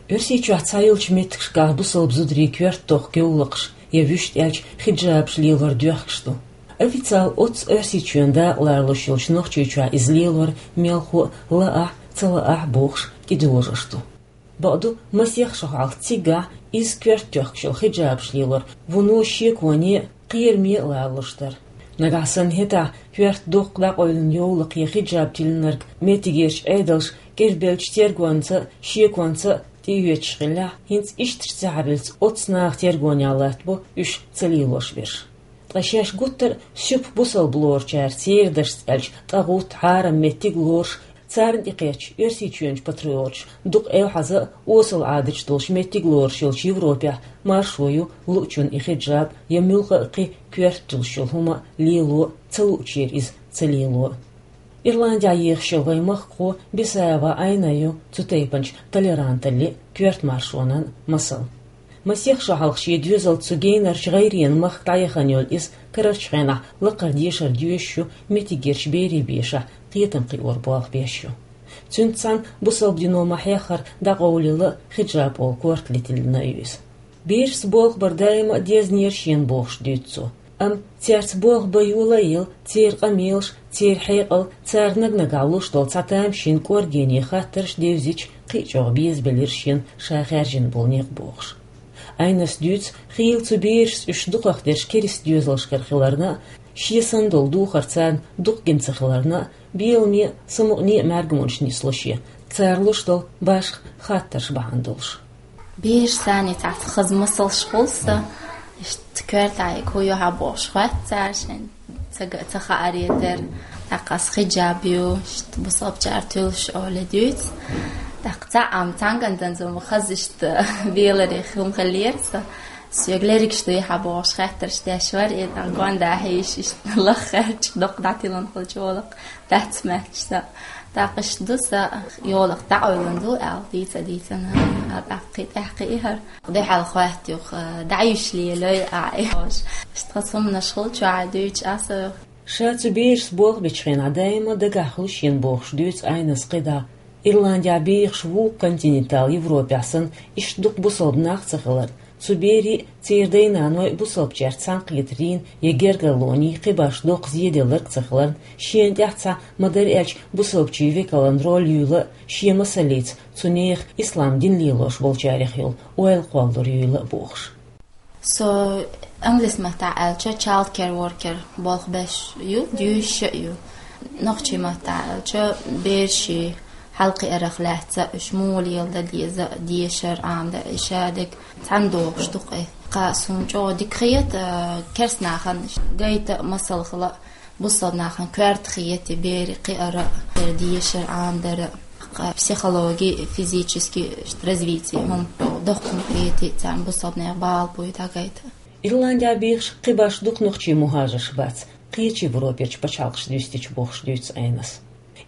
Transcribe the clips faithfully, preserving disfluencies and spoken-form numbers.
Оьрсийчохь цхьайолчу меттигашкахь бусалба зударий коьрта дохка йовлакхаш я вуьшта аьлча хиджабаш лелор доьхкаш ду. Официалан оццу Оьрсийчоьнан дакъа ларалуш йолчу Нохчийчохь иза лелор мелхо а, лаахь а, ца лаахь а бохуш, кӀидожош ду. Бакъду, масех шо хьалха цигахь иза коьрта тоьхкаш йолу хиджабаш лелор вуно шеконе а, кхераме а ларалуш дара. Нагахь санна хӀетахь коьрта доккха дӀакъевлина йовлакх я хиджаб тиллинарг меттигерчу Ӏедалша кӀирбеллачу тергонца а, шеконца а тӀеоьцуш хиллехь, хӀинца ишттачу цхьаьраллица оццу наха тергонехь латтабо уьш ца лелош берш. Ткъа шаьш гуттар а суьпа бусалба лоручара церан дашца аьлча тӀагӀутта, хьарам меттиг лоруш, царна тӀекхетча, Оьрсийчоьнан патриоташ дукха эвхьаза а, осал Ӏадаташ долуш меттиг лоруш йолчу Европехь маршо ю луучунна и хиджаб я муьлхха а кхин коьрталуш йолу хӀума лело а, ца луучеран иза ца лело а. Ирландехь ехаш йолу вайн махкахо Бисаева Айна ю цу тайпанчу толеранталлин а, коьрта маршонан а масал. Масех шо хьалха шен доьзалца цу генарчу гӀайренан махка дӀаяхана йолу иза карарчу хенахь лакхара дешар доьшуш ю меттигерчу берийн бешахь кхетам кхиор болх беш ю. Цуьнца цхьаьна бусалба дино ма-хьеххара дӀакъовлийла хиджаб олу корта летийна а ю иза. Берашца болх бар даима а дезна яра шена бохуш дуьйцу цо. Амма цаьрца болх бан йолаелла, церан къамелаш, церан хьекъал, цара наг-нагахь луш долу цхьа тамашийна кӀоргене хаттарш девзича, кхин а чӀогӀа безабелира шена ша хаьржина болу некъ бохуш. Айнас дуьйцу, хийла цу берашца уьш дукхахдерш керста доьзалшкара хиларна а, шен санна долу духар царна дукха гина ца хиларна а, беламе а, самукъане а мергонаш нисло шен, цара луш долу башха хаттарш бахьана долуш. Бераш санна цхьацца хаза масалш хуьлу сан, иштта коьртехь хӀун ю хьан бохуш хоьтту цара шайн, ца га-, ца хааре тера. ТӀаккха ас хиджаб ю, иштта бусалбачара туьллуш олий дуьйцу. ТӀаккха цхьаъ-м цхьаьнгара дан-м хаза иштта беларе хӀума хиллера сан. Соьга лергаш дуй хьан бохуш хаттарш деш вара, и тӀаккха гондахь йиш иштта лаха хаьрча, доккха дӀатилина хуьлучу олакх дац моьттуш сан. ТӀаккха иштта ду сан, йолах дӀакъевлина ду аьлла, дийца-дийцина, а тӀаккха кхин тӀаьхьа кхин и хӀара. Дуьхьал хоьтту юха, дӀа йиш лелой а, и хьош. Иштта хаза хӀуманаш хуьлу чохь дуьйцуш аса. Ша цу берашца болх бечу хенахь даима дагахь хуьлу шена бохуш дуьйцу Айнас кхидӀа. Ирландехь бехаш вукху континентал Европехь санна, иштта дукха бусалба нах ца хиларна, цу берийн а, церан дай-наной а бусалбачаьрца цхьаьнакхетарийн я гергарлонийн кхин башха доккха зеделларг а ца хиларна, шена тӀехь цхьа ма-дарра аьлча бусалбачийн векалан роль юйла а, шен масаллица цу нехан ислам дин лелош болчарех йолу ойла кхоллалур юйла а бохуш. Со англис маттахь аьлча child care worker болх беш ю, дуьйцуш а ю. Нохчийн маттахь аьлча берашийн хьалакхиарах лаьцна уьш муха леладан деза а, дешар, Ӏамадар, и шадерг цхьаьна дохуш ду-кх и. Кхин суна чӀогӀа дика хета, керста нахана гайта а масал хила а, бусалба нахана коьрта хета и берийн кхиар а, дешар, Ӏамадар а. Кхин психологи, физически развитие хӀума доккха хӀума хета царна бусалба нехан бала буй дӀагайта. Ирландехь бехаш кхин башха дукха нохчийн мухӀажарш бац, кхечу Европерчу пачхьалкхаша дуьстича бохуш дуьйцу Айнас.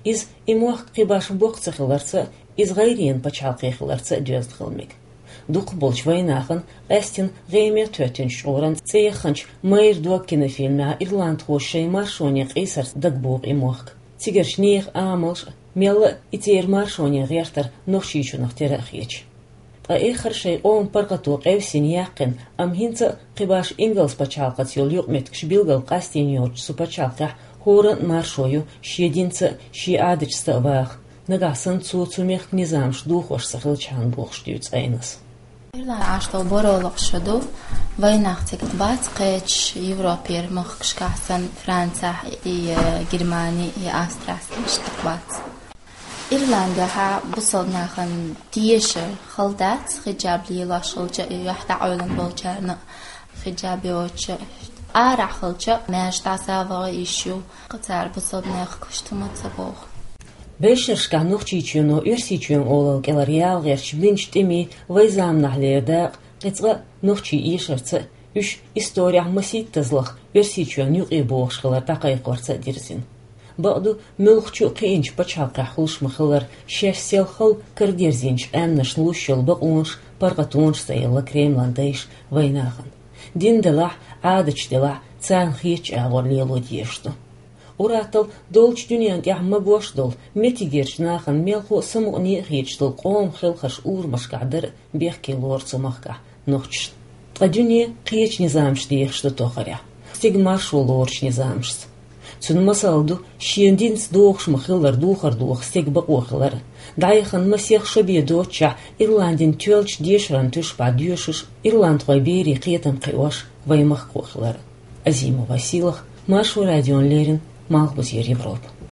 Иза и мохк кхин башха боккха ца хиларца а, иза гӀайренан пачхьалкх хиларца а доьзна хила мега. Дукхахболчу вайнахана, къаьстина гӀеме тоьттинчу чкъуран цӀе яханчу «Майра дог» кинофильмехь ирландхоша шайн маршоне къийсарца дагабоху и мохк. Цигарчу нехан амалш а, мелла а и церан маршоне гӀертар Нохчийчунах тера а хеташ. Ткъа эххар шайн къоман паргӀато къевсина яьккхина, амма хӀинца а кхин башха ингалс пачхьалкхаца йолу юкъаметтигаш билггал къастийна йоцучу цу пачхьалкхехь хӀоранна а маршо ю шен динца а, шен Ӏадаташца а ваха, нагахь санна цо цу мехкан низамаш дохош ца хилчхьана бохуш дуьйцу Айнас. Ирландехь Ӏаш долу баро локхуш ду, вайнах цига бац кхечу Европера махкашкахь санна, Францехь и, э, Германи, и Австрехь санна иштта бац. Ирландехь бусалба нахана тешар хала дац, хиджаб лелош хилча а, и юьхь дӀакъевлина болчарна а хиджаб йоцуш а. Арахь хилча а, маьждигаш дӀаса а ваха йиш ю, кхин цара бусалба нехан куьшту ма ца боху. Белшаршкахь Нохчийчоьно Оьрсийчоьнан олалла кӀелара яла гӀерташ бинчу тӀемийн вайн заманахь лерина дакъа кхин цкъа а нохчийн эшарца а, уьш исторехь масийттазлах Оьрсийчоьнна юкъе бохуш хилар дӀакхайкхорца а дирзина. Бакъду, муьлххачу а кхиъначу пачхьалкхехь хуьлуш ма-хиллара, шаьш сел хала карадерзийначу къаьмнашна луш йолу бакъонаш, паргӀатонаш ца елла Кремлан дайша вайнахана. Дин делахь, Ӏадаташ делахь, царна хетачу агӀор лело дезаш ду. Ур-аттал долчу дуьненна тӀехь магош долу, меттигерчу нахана мелхо а, самукъане а хеташ долу къоман хелхарш урамашкахь дара бехке лору цу махкахь нохчашна. Ткъа дуьне кхечу низамашца дехаш ду тохарехь, стеган маршо лоручу низамашца. Цуьнан масал ду шен динца догӀуш ма-хиллара духар доха стеган бакъо хилар. ДӀаяхана масех шо бен доццушехь Ирландин тоьллачу дешаран туьшпахь доьшуш, ирландхойн берийн кхетам кхиош вайн махкахо хилар. Азимова Сийлаха, Маршо радиона леррина, Малхбузера Европа.